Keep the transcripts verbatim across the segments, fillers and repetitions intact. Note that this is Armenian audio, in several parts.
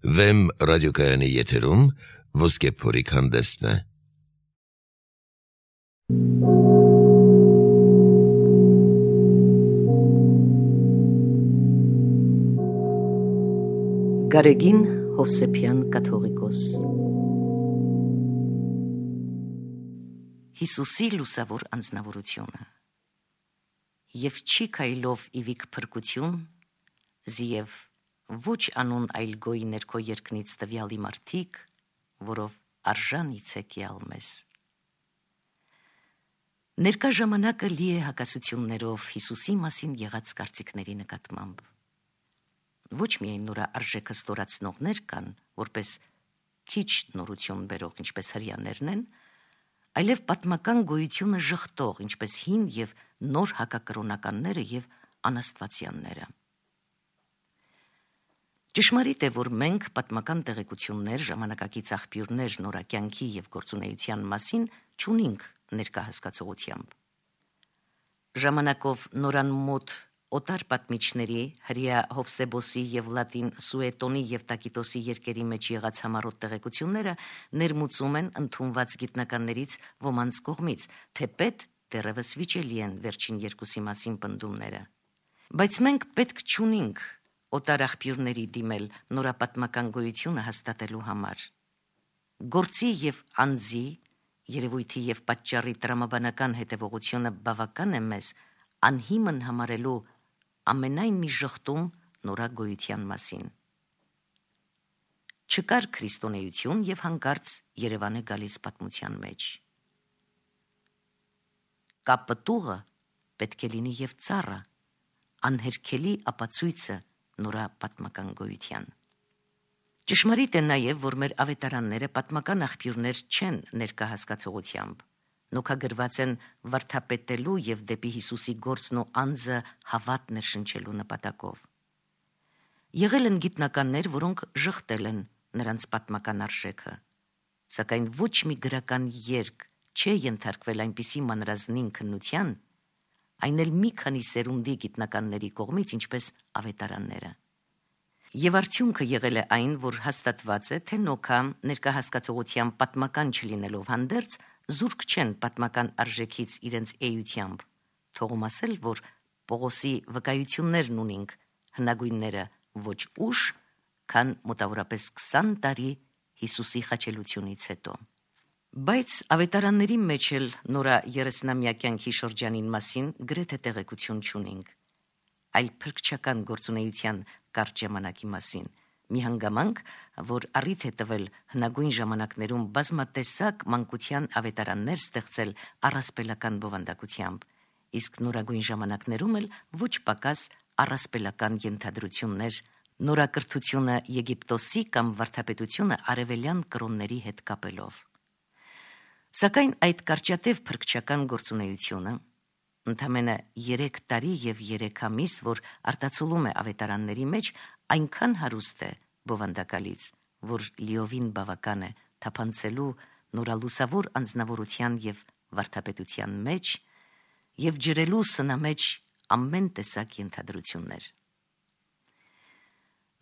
Վեմ ռադիոկայանի եթերում ոսկե փորիկ հանդեսն է։ Գարեգին Հովսեփյան կաթողիկոս Հիսուսի լուսավոր անձնավորությունը Եվ չի քայլով իվիկ փրկություն, զիև ոչ անուն այլ գոյի ներքո երկնից տվյալի մարդիկ, որով արժան իցեք յալ մեզ։ Ներկա ժամանակը լի է հակասություններով Հիսուսի մասին եղած կարծիքների նկատմամբ։ Ոչ միայն նորա արժեքը ստորացնողներ կան, որպես քիչ նորություն բերող, ինչպես հրյաներն են, այլև պատմական գոյությունը ժխտող, ինչպես հին և նոր հակակրոնականները և անաստվածյանները։ Ճշմարիտ է, որ մենք պատմական տեղեկություններ, ժամանակակից աղբյուրներ նորակյանքի և գործունեության մասին չունենք ներկա հասկացողությամբ։ Ժամանակով նորան մոտ օտար պատմիչների, հրյա Հովսեբոսի և լատին Սուետոնի և Տակիտոսի երկերի մեջ եղած համառոտ տեղեկությունները ներմուծում են ընդունված գիտնականներից ոմանց կողմից, թեպետ դեռևս վիճելի են վերջին երկուսի մասին պնդումները։ Բայց մենք պետք չունենք օտար աղբյուրների դիմել նորապատմական գոյությունը հաստատելու համար։ Գործի և անձի, երևույթի և պատճառի տրամաբանական հետևողությունը բավական է մեզ անհիմն համարելու ամենայն մի ժխտում նորա գոյության մասին։ Չկար քրիստոնեություն և հանկարծ Երևան է գալիս պատմության մեջ։ Կա պտուղը, պետք է լինի և ծառը, անհերքելի ապացույցը նորա պատմական գոյության։ Ճշմարիտ է նաև, որ մեր ավետարանները պատմական աղբյուրներ չեն ներկա հասկացողությամբ, նոքագրված են վարդապետելու և դեպի Հիսուսի գործն ու անձը հավատ ներշնչելու նպատակով։ Եղել են գիտնականներ, որոնք ժխտել են նրանց պատմական արժեքը, սակայն ոչ մի գրական երգ չէ ենթարկվել այնպիսի մանրազնին քննության, այն էլ մի քանի սերունդի գիտնականների կողմից, ինչպես ավետարանները։ Եվ արդյունքը եղել է այն, որ հաստատված է, թե նոքա ներկա հասկացողությամբ պատմական չլինելով հանդերձ, զուրկ չեն պատմական արժեքից իրենց էությամբ, թողում ասել, որ Պողոսի վկայություններն ունինք հնագույնները ոչ ուշ, քան մոտավորապես քսան տարի Հիսուսի խաչելությունից հետո։ Բայց ավետարանների մեջ էլ նորա երեսնամյա կյանքի շրջանին մասին գրեթե տեղեկություն չունենք, այլ փրկչական գործունեության կարճ ժամանակի մասին, մի հանգամանք, որ առիթ է տվել հնագույն ժամանակներում բազմատեսակ մանկության ավետարաններ ստեղծել առասպելական բովանդակությամբ, իսկ նորագույն ժամանակներում էլ ոչ պակաս առասպելական ենթադրություններ, նորակրթությունը Եգիպտոսի կամ վարդապետությունը արևելյան կրոնների հետ կապելով։ Սակայն այդ կարճատև փրկչական գործունեությունը, ընդամենը երեք տարի և երեք ամիս, որ արտացոլում է ավետարանների մեջ, այնքան հարուստ է բովանդակալից, որ լիովին բավական է թափանցելու նորալուսավոր անձնավորության և վարդապետության մեջ և ջրելու սնամեջ ամեն տեսակ ենթադրություններ։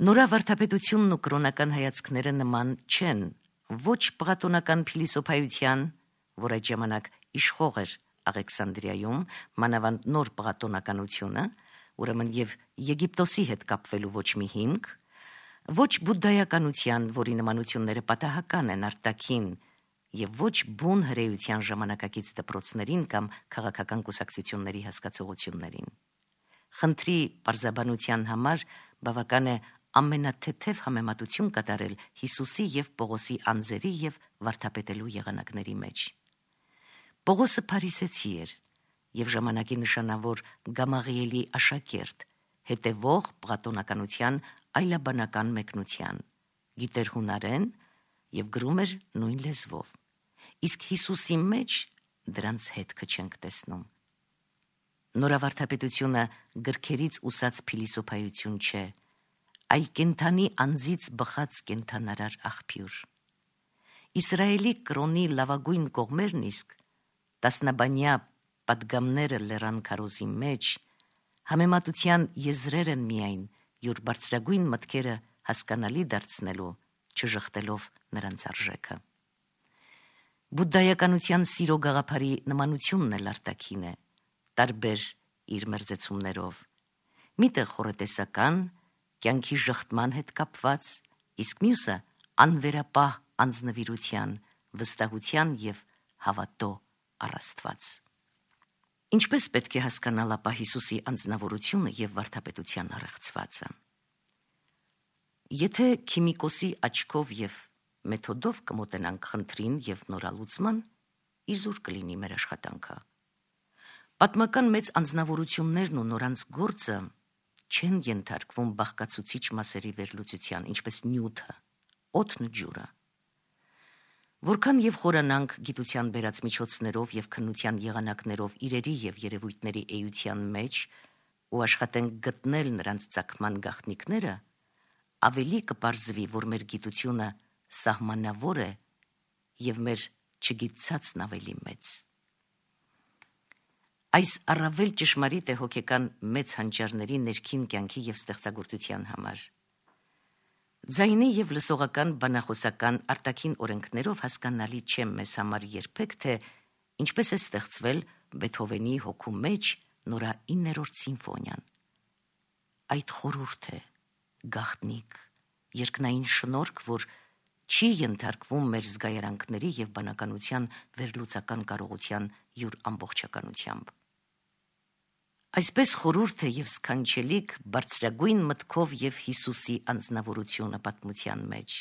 Նորա վարդապետությունն ու կրոնական հայացքները նման չեն ոչ պղատոնական փիլիսոփայության, որ այդ ժամանակ իշխող էր Աղեքսանդրիայում, մանավանդ նոր պղատոնականությունը, ուրեմն և Եգիպտոսի հետ կապվելու ոչ մի հիմք, ոչ բուդդայականության, որի նմանությունները պատահական են արտաքին, և ոչ բուն հրեության ժամանակակից դպրոցներին կամ քաղաքական կուսակցությունների հասկացողություններին։ Խնդրի պարզաբանության համար բավական է ամենաթեթև համեմատություն կատարել Հիսուսի և Պողոսի անձերի և վարդապետելու եղանակների մեջ։ Պողոսը փարիսեցի էր և ժամանակի նշանավոր Գամաղիելի աշակերտ, հետևող պղատոնականության այլաբանական մեկնության, գիտեր հունարեն և գրում էր նույն լեզվով, իսկ Հիսուսի մեջ դրանց հետքը չենք տեսնում։ Նորավարդապետությունը գրքերից ուսած փիլիսոփայություն չէ, այլ կենդանի անձից բխած կենդանարար աղբյուր։ Իսրայելի կրոնի լավագույն կողմերն իսկ տասնաբանյա պատգամները լեռան քարոզի մեջ համեմատության եզրեր են միայն, յուր բարձրագույն մտքերը հասկանալի դարձնելու, չժխտելով նրանց արժեքը։ Բուդդայականության սիրո գաղափարի նմանությունն էլ արտաքին է, տարբեր իր մերձեցումներով։ Միտը խորհրդեսական, կյանքի ժխտման հետ կապված, իսկ մյուսը անվերապահ անձնվիրության, վստահության և հավատո առաստված։ Ինչպես պետք է հասկանալ ապա Հիսուսի անձնավորությունը և վարդապետության առեղծվածը։ Եթե քիմիկոսի աչքով և մեթոդով կմոտենանք խնդրին և նորալուծման, իզուր կլինի մեր աշխատանքը։ Պատմական մեծ անձնավորություններն ու նորանց գործը չեն ենթարկվում բաղկացուցիչ մասերի վերլուծության, ինչպես նյութը, օդն ու ջուրը։ Որքան և խորանանք գիտության բերած միջոցներով և քննության եղանակներով իրերի և երևույթների էության մեջ ու աշխատենք գտնել նրանց ծագման գաղտնիքները, ավելի կպարզվի, որ մեր գիտությունը սահմանավոր է և մեր չգիտցածն ավելի մեծ։ Այս առավել ճշմարիտ է հոգեկան մեծ հանճարների ներքին կյանքի և ստեղծագործության համար։ Ձայնի և լսողական բանախոսական արտաքին օրենքներով հասկանալի չէ մեզ համար երբեք, թե ինչպես է ստեղծվել Բեթհովենի հոգու մեջ նորա իններորդ սիմֆոնիան։ Այդ խորհուրդ է, գաղտնիք, երկնային շնորհք, որ չի ենթարկվում մեր զգայարանքների և բանականության վերլուծական կարողության յուր ամբողջականությամբ։ Այսպես խորհուրդ է և սքանչելիք բարձրագույն մտքով և Հիսուսի անձնավորությունը պատմության մեջ,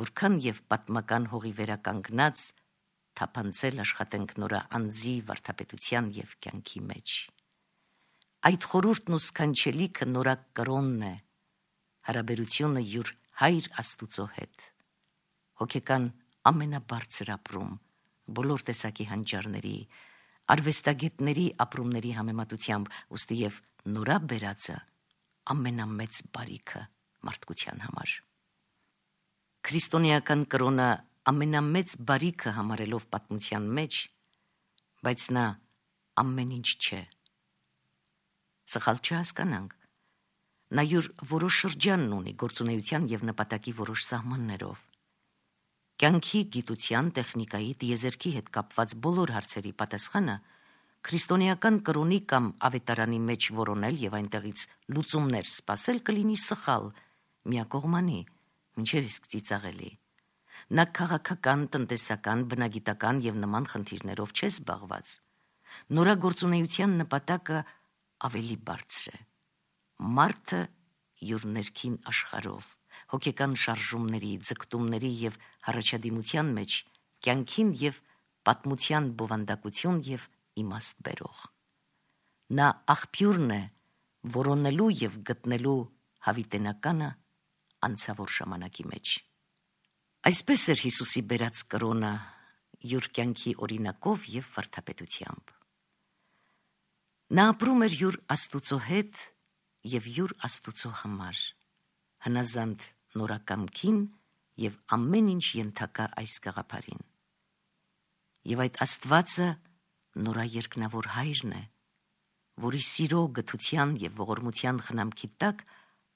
որքան և պատմական հողի վերականգնած թափանցել աշխատենք նորա անձի վարդապետության և կյանքի մեջ։ Այդ խորհուրդն ու սքանչելիքը նորա կրոնն է, հարաբերությունը յուր հայր Աստուծո հետ, հոգեկան ամենաբարձր ապրում, բոլոր տեսակի հանճարների, արվեստագետների ապրումների համեմատությամբ, ուստի և նորա բերածը ամենամեծ բարիքը մարդկության համար։ Քրիստոնեական կրոնը ամենամեծ բարիքը համարելով պատմության մեջ, բայց նա ամեն ինչ չէ։ Սխալ չհասկանանք, նա յուր որոշ շրջանն ունի գործունեության և նպատակի որոշ սահմաններով։ Կյանքի, գիտության, տեխնիկայի, տիեզերքի հետ կապված բոլոր հարցերի պատասխանը քրիստոնեական կրոնի կամ ավետարանի մեջ որոնել և այնտեղից լուծումներ սպասել կլինի սխալ, միակողմանի, մինչև իսկ ծիծաղելի։ Նա քաղաքական, տնտեսական, բնագիտական և նման խնդիրներով չէ զբաղված։ Նորա գործունեության նպատակը ավելի բարձր է։ Մարդը յուր ներքին աշխարհով, հոգեկան շարժումների, ձգտումների և առաջադիմության մեջ կյանքին և պատմության բովանդակություն և իմաստ բերող։ Նա աղբյուրն է որոնելու և գտնելու հավիտենականը անցավոր ժամանակի մեջ։ Այսպես էր Հիսուսի բերած կրոնը յուր կյանքի օրինակով և վարդապետությամբ։ Նա ապրում էր յուր Աստուծո հետ և յուր Աստուծո համար, հնազանդ նորակամքին և ամեն ինչ ենթակա այս գաղափարին։ Եվ այդ Աստվածը նորա երկնավոր հայրն է, որի սիրո, գթության և ողորմության խնամքի տակ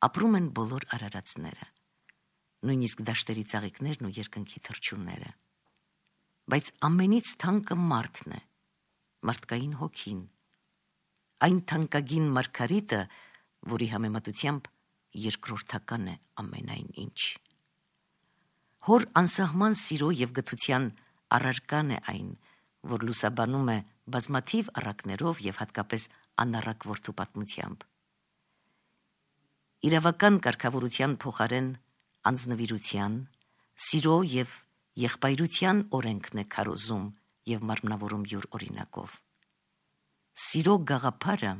ապրում են բոլոր արարածները, նույնիսկ դաշտերի ծաղիկներն ու երկնքի թռչունները։ Բայց ամենից թանկը մարդն է, մարդկային հոգին, այն թանկագին մարգարիտը, որի համեմատությամբ երկրորդական է ամենայն ինչ։ Հոր անսահման սիրո և գթության առարկան է այն, որ լուսաբանում է բազմաթիվ առակներով և հատկապես անառակ որդու պատմությամբ։ Իրավական կարգավորության փոխարեն անձնվիրության, սիրո և եղբայրության օրենքն է քարոզում և մարմնավորում յուր օրինակով։ Սիրո գաղափարը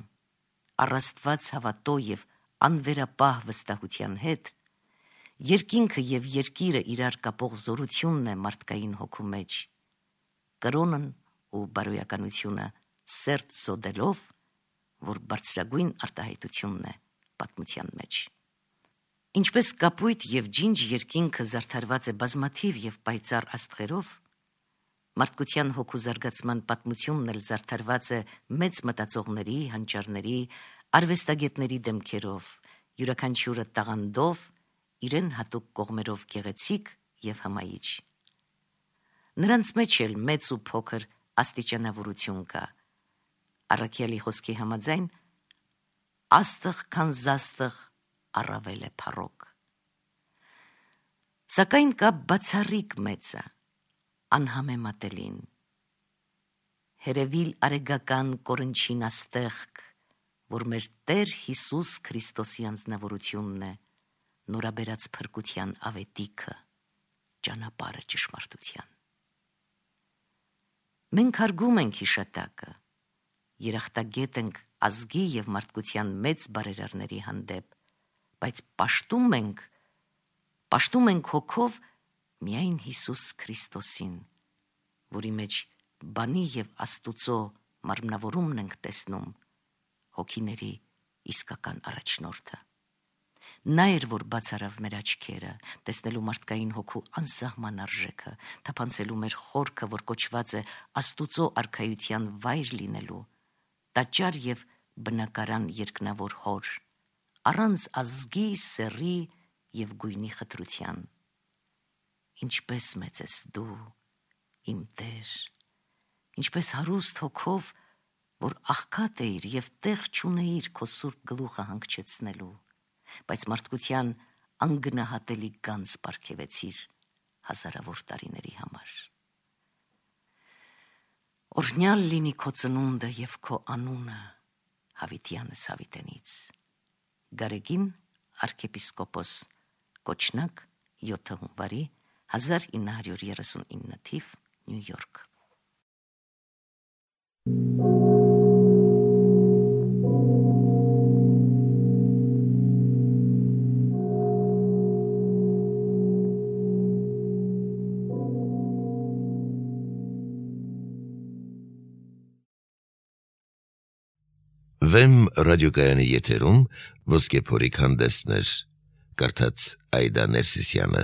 առաստված հավատո և անվերապահ վստահության հետ երկինքը և երկիրը իրար կապող զորությունն է մարդկային հոգու մեջ, կրոնն ու բարոյականությունը սերտ զոդելով, որ բարձրագույն արտահայտությունն է պատմության մեջ։ Ինչպես կապույտ և ջինջ երկինքը զարդարված է բազմաթիվ և պայծառ աստղերով, մարդկության հոգու զարգացման պատմությունն էլ զարդարված է մեծ մտածողների, հանճարների, արվեստագետների դեմքերով յուրաքանչյուրը տաղանդով, իրեն հատուկ կողմերով գեղեցիկ և հմայիչ։ Նրանց մեջ էլ մեծ ու փոքր աստիճանավորություն կա։ Առաքյալի խոսքի համաձայն, աստղ քան զաստղ առավել է փառոք։ Սակայն կա բացառիկ մեծը, անհամեմատելին։ Հերևիլ արեգական կորնչին աստեղք, որ մեր Տեր Հիսուս Քրիստոսի անձնավորությունն է, նորաբերած փրկության ավետիքը, ճանապարհը ճշմարտության։ Մենք հարգում ենք հիշատակը, երախտագետ ենք ազգի և մարդկության մեծ բարերարների հանդեպ, բայց պաշտում ենք, պաշտում ենք հոգով միայն Հիսուս Քրիստոսին, որի մեջ բանի և Աստուծո մարմնավորումն ենք տեսնում, հոգիների իսկական առաջնորդը։ Նա էր, որ բացարավ մեր աչքերը, տեսնելու մարդկային հոգու անսահման արժեքը, թափանցելու մեր խորքը, որ կոչված է Աստուծո արքայության վայր լինելու, տաճար և բնակարան երկնավոր հոր, առանց ազգի, սեռի և գույնի խտրության։ Ինչպես մեծ ես դու, իմ Տեր, ինչպես հարուստ հոգով, որ աղքատ էիր և տեղ չունեիր քո սուրբ գլուխը հանգչեցնելու, բայց մարդկության անգնահատելի գանձ պարգևեցիր հազարավոր տարիների համար։ Օրհնյալ լինի քո ծնունդը և քո անունը Հավիտյանս Հավիտենից։ Գարեգին arczepiskopos Կոչնակ յոթ հունվարի հազար ինը հարյուր երեսունինը թիվ Նյու Յորք։ Վեմ ռադիոկայանի եթերում ոսկե փորիկ հանդեսներ, կարդաց Այդա Ներսիսյանը։